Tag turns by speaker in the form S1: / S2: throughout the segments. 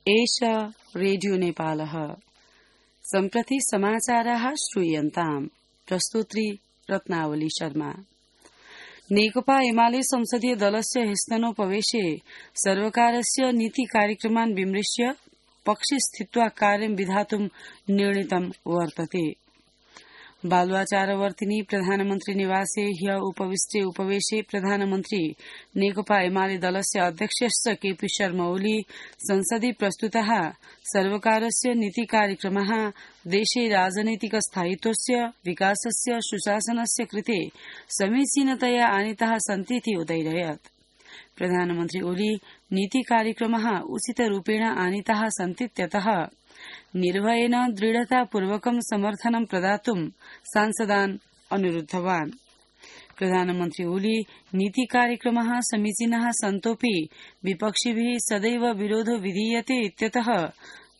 S1: एष रेडियो नेपालः। सम्प्रति समाचाराः श्रूयन्ताम्। प्रस्तुत्री रत्नावली शर्मा। नेकपा एमाले संसदीय दलस्य ह्यस्तनोपवेशे सर्वकारस्य नीति कार्यक्रमान् विमृश्य पक्षे स्थित्वा कार्यं विधातुं निर्णीतं वर्तते। बालुवाचारवर्तिनी प्रधानमन्त्री निवासे ह्य उपविष्टे उपवेशे प्रधानमन्त्री नेकपा एमाले दलस्य अध्यक्षश्च केपी शर्मा ओली संसदि प्रस्तुतः सर्वकारस्य नीति कार्यक्रमः देशे राजनैतिक स्थायित्वस्य विकासस्य सुशासनस्य कृते समीचीनतया आनीताः सन्तीति उदययत्। प्रधानमन्त्री ओली नीति कार्यक्रमः उचितरूपेण आनीताः सन्तीत्यतः निर्भयेन दृढतापूर्वकं समर्थनं प्रदातुं सांसदान् अनुरुद्धवान्। प्रधानमन्त्री ओली नीति कार्यक्रमः समीचीनः सन्तोऽपि विपक्षिभिः सदैव विरोधो विधीयते इत्यतः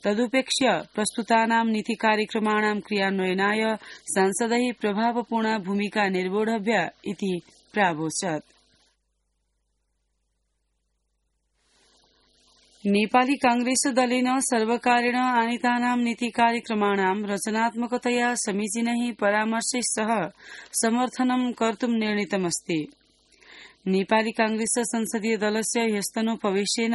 S1: तदुपेक्ष्य प्रस्तुतानां नीति कार्यक्रमाणां क्रियान्वयनाय सांसदैः प्रभावपूर्णा भूमिका निर्वोढव्या इति प्रावोचत्। नेपाली कांग्रेस दलेन सर्वकारेण आनीतानां नीति कार्यक्रमाणां रचनात्मकतया समीचीनैः परामर्शैः सह समर्थनं कर्तुं निर्णीतमस्ति। नेपाली कांग्रेस संसदीय दलस्य ह्यस्तनोपवेशेन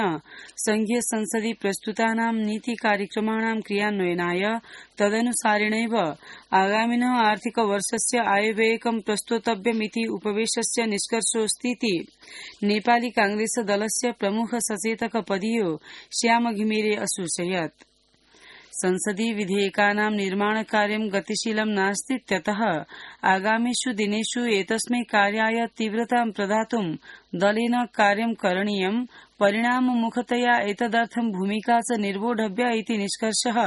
S1: संघीय संसदि प्रस्तुतानां नीति कार्यक्रमाणां क्रियान्वयनाय तदनुसारेणैव आगामिनः आर्थिक वर्षस्य आयव्ययकं प्रस्तोतव्यमिति उपवेशस्य निष्कर्षोऽस्तीति नेपाली कांग्रेस दलस्य प्रमुख सचेतक पदीयो श्याम घिमिरे असूचयत्। संसदि विधेयकानां निर्माणकार्यं गतिशीलं नास्तीत्यतः आगामिषु दिनेषु एतस्मै कार्याय तीव्रतां प्रदातुं दलेन कार्यं करणीयं, परिणाममुखतया एतदर्थं भूमिका च निर्वोढव्या इति निष्कर्षः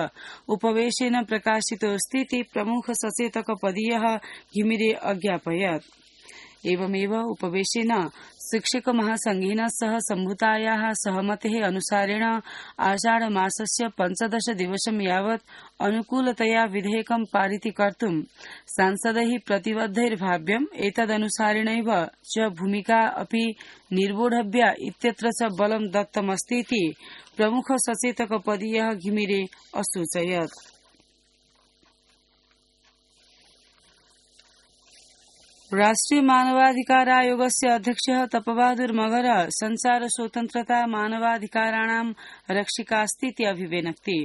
S1: उपवेशेन प्रकाशितोऽस्तीति प्रमुख सचेतक पदीयः घिमिरे अज्ञापयत्। एवमेव उपवेशेन शिक्षक महासंघेन सह सम्भूतायाः सहमतेः अनुसारेण आषाढ मासस्य 15 दिवसं यावत् अनुकूलतया विधेयकं पारितीकर्तुं सांसदैः प्रतिबद्धैर्भाव्यम्, एतदनुसारेणैव च भूमिका अपि निर्वोढव्या इत्यत्र च बलं दत्तमस्तीति प्रमुख सचेतक पदीयः घिमिरे असूचयत्। राष्ट्रिय मानवाधिकार आयोगस्य अध्यक्षः तपबहादुर मगर संचार स्वतन्त्रता मानवाधिकाराणां रक्षिकास्तीति अभिव्यनक्ति।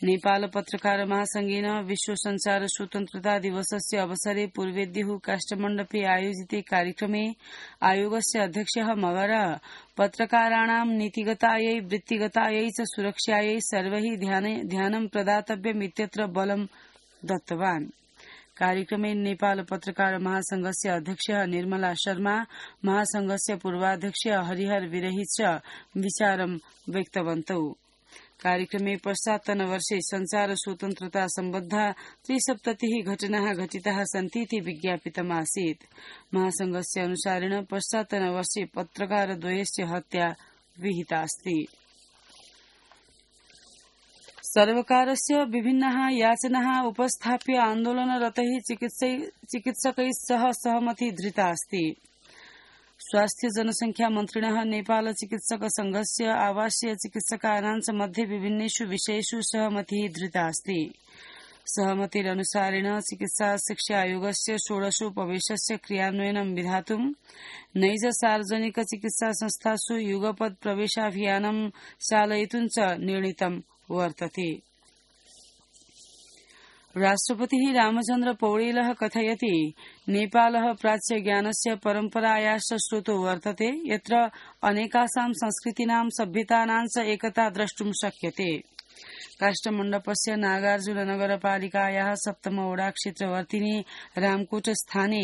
S1: नेपाल पत्रकार महासंघेन विश्व संचार स्वतन्त्रता दिवसस्य अवसरे पूर्वेद्युः काष्ठमण्डपे आयोजिते कार्यक्रमे आयोगस्य अध्यक्षः मगर पत्रकाराणां नीतिगतायै वृत्तिगतायै च सुरक्षायै सर्वैः ध्यानं प्रदातव्यमित्यत्र बलं दत्तवान्। कार्यक्रमे नेपाल पत्रकार महासंघस्य अध्यक्षः निर्मला शर्मा, महासंघस्य पूर्वाध्यक्ष हरिहर विरही च विचारं व्यक्तवन्तौ। कार्यक्रमे पश्चात्तनवर्षे संचार स्वतन्त्रता सम्बद्धा 73 घटनाः घटिताः सन्तीति विज्ञापितमासीत्। महासंघस्य अनुसारेण पश्चात्तनवर्षे पत्रकारद्वयस्य हत्या विहितास्ति। सर्वकारस्य विभिन्नाः याचनाः उपस्थाप्य आन्दोलनरतैः चिकित्सकैः सह सहमति धृता अस्ति। स्वास्थ्य जनसंख्या मन्त्रिणः नेपाल चिकित्सक संघस्य आवासीय चिकित्सकानां च मध्ये विभिन्नेषु विषयेषु सहमतिः धृता अस्ति। सहमतिरनुसारेण चिकित्सा शिक्षा आयोगस्य 16उपवेशस्य क्रियान्वयनं विधातुं नैज सार्वजनिक चिकित्सा संस्थासु युगपत् प्रवेशाभियानं चालयितुं च निर्णीतं वर्तते। राष्ट्रपतिः रामचन्द्र पौडेलः कथयति, नेपालः प्राच्यज्ञानस्य परम्परायाश्च स्रोतो वर्तते, यत्र अनेकासां संस्कृतीनां सभ्यतानां च एकता द्रष्टुं शक्यते। काष्ठमण्डपस्य नागार्जुननगरपालिकायाः 7 वडा क्षेत्रवर्तिनी रामकोट स्थाने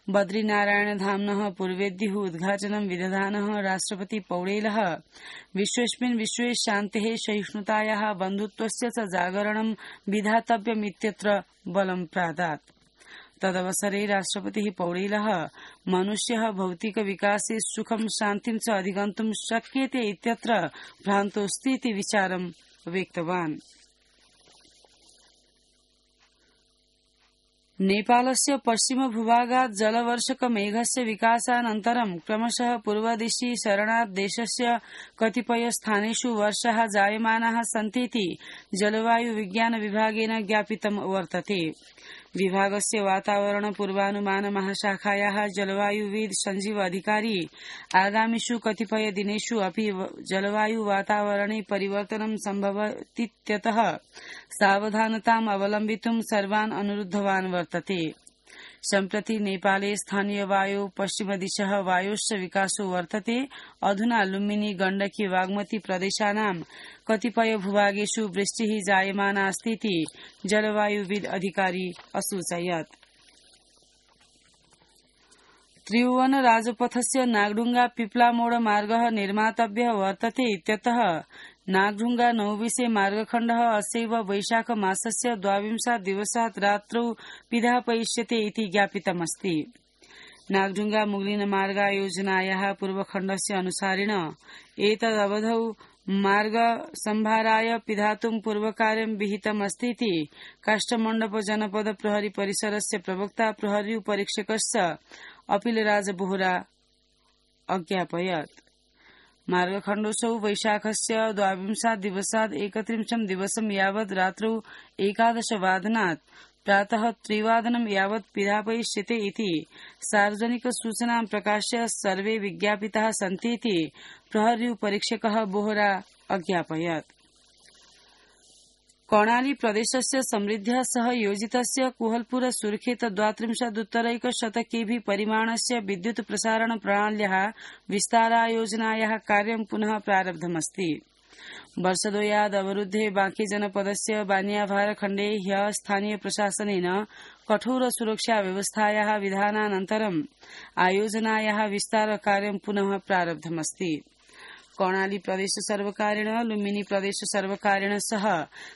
S1: बद्रीनारायणधाम्नः पूर्वेद्युः उद्घाटनं विदधानः राष्ट्रपति पौडेलः विश्वेस्मिन् विश्वे शान्तेः, सहिष्णुतायाः, बन्धुत्वस्य च जागरणं विधातव्यमित्यत्र बलं प्रादात्। तदवसरे राष्ट्रपतिः पौडेलः मनुष्यः भौतिक विकासे सुखं शान्तिं च अधिगन्तुं शक्यते इत्यत्र भ्रान्तोऽस्तीति विचारं व्यक्तवान्। नेपालस्य पश्चिम भूभागात् जलवर्षकमेघस्य विकासानन्तरं क्रमशः पूर्वदिशि शरणात् देशस्य कतिपय स्थानेषु वर्षाः जायमानाः सन्तीति जलवायु विज्ञान विभागेन ज्ञापितं वर्तते। विभागस्य वातावरण पूर्वानुमान महाशाखायाः जलवायुविद् संजीव अधिकारी आगामिषु कतिपय दिनेषु अपि जलवायु वातावरणे परिवर्तनं सम्भवतीत्यतः सावधानताम् अवलम्बितुं सर्वान् अनुरुद्धवान् वर्तते। सम्प्रति नेपाले स्थानीय वायु पश्चिमदिशः वायोश्च विकासो वर्तते। अधुना लुम्बिनी गण्डकी बागमती प्रदेशानां कतिपय भूभागेषु वृष्टिः जायमाना अस्तीति जलवायुविद् अधिकारी असूचयत्। त्रिभुवन राजपथस्य नागढुंगा पिप्लामोड मार्गः निर्मातव्यः वर्तते इत्यतः नागढुंगा नौविसे मार्गखण्डः अस्यैव वैशाख मासस्य 22 दिवसात् रात्रौ पिधापयिष्यते इति ज्ञापितमस्ति। नागढुंगा मुगलिन मार्गयोजनायाः पूर्वखण्डस्य अनुसारेण एतदवधौ मार्ग संभाराय पिधातुं पूर्वकार्यं विहितमस्तीति काष्ठमण्डप जनपद प्रहरी परिसरस्य प्रवक्ता प्रहरी परीक्षकश्च अपिलराज बोहरा अज्ञापयत्। मार्गखण्डोऽसौ वैशाखस्य 22 दिवसात् 31 दिवसं यावत् रात्रौ 11 वादनात् प्रातः 3 वादनं यावत् पिधापयिष्यते इति सार्वजनिक सूचनां प्रकाश्य सर्वे विज्ञापिताः सन्तीति प्रहरी परीक्षकः बोहरा अज्ञापयत्। कर्णाली प्रदेशस्य समृद्ध्या सह योजितस्य कुहलपुर सुरखेत 32 केभि परिमाणस्य विद्युत् प्रसारण प्रणाल्याः विस्तारायोजनायाः कार्यं पुनः प्रारब्धमस्ति। वर्षद्वयाद् अवरुद्धे बांके जनपदस्य बानियाभार खण्डे ह्यः स्थानीय प्रशासनेन कठोर सुरक्षा व्यवस्थायाः विधानानन्तरं आयोजनायाः विस्तार कार्यं पुनः प्रारब्धमस्ति। कर्णाली प्रदेश सर्वकारेण लुम्बिनी प्रदेश सर्वकारेण सह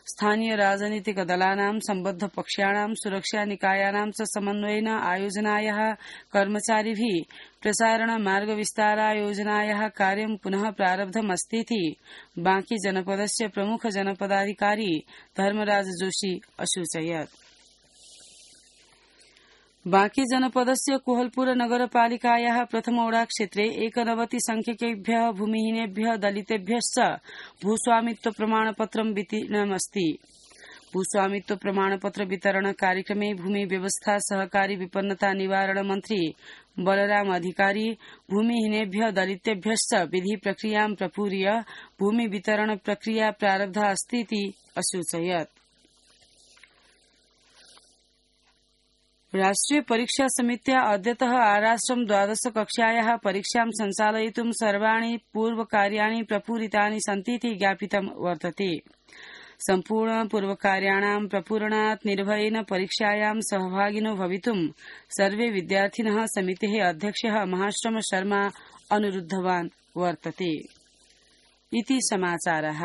S1: स्थानीय राजनीतिक दलानां सम्बद्ध पक्षाणां सुरक्षा निकायानां च समन्वयेन आयोजनायाः कर्मचारिभिः प्रसारण मार्ग विस्तारायोजनायाः कार्यं पुनः प्रारब्धमस्तीति बांके जनपदस्य प्रमुख जनपदाधिकारी धर्मराज जोशी असूचयत्। बांके जनपदस्य कुहलपुर नगरपालिकायाः प्रथमोडा क्षेत्रे 91 संख्यकेभ्यः भूमिहीनेभ्यः दलितेभ्यश्च भूस्वामित्व प्रमाणपत्रं वितरणमस्ति। भूस्वामित्व प्रमाणपत्र वितरण कार्यक्रमे भूमि व्यवस्था सहकारी विपन्नता निवारण मंत्री बलराम अधिकारी भूमिहीनेभ्यः दलितेभ्यश्च विधि प्रक्रियां प्रपूर्य भूमि वितरण प्रक्रिया प्रारब्धा अस्तीति असूचयत्। राष्ट्रिय परीक्षा समित्या अद्यतः आराष्ट्रं 12 कक्षायाः परीक्षां सञ्चालयितुं सर्वाणि पूर्वकार्याणि प्रपूरितानि सन्तीति ज्ञापितं वर्तते। सम्पूर्ण पूर्वकार्याणां प्रपूरणात् निर्भयेन परीक्षायां सहभागिनो भवितुं सर्वे विद्यार्थिनः समितेः अध्यक्षः महाश्रम शर्मा अनुरुद्धवान् वर्तते। इति समाचारः।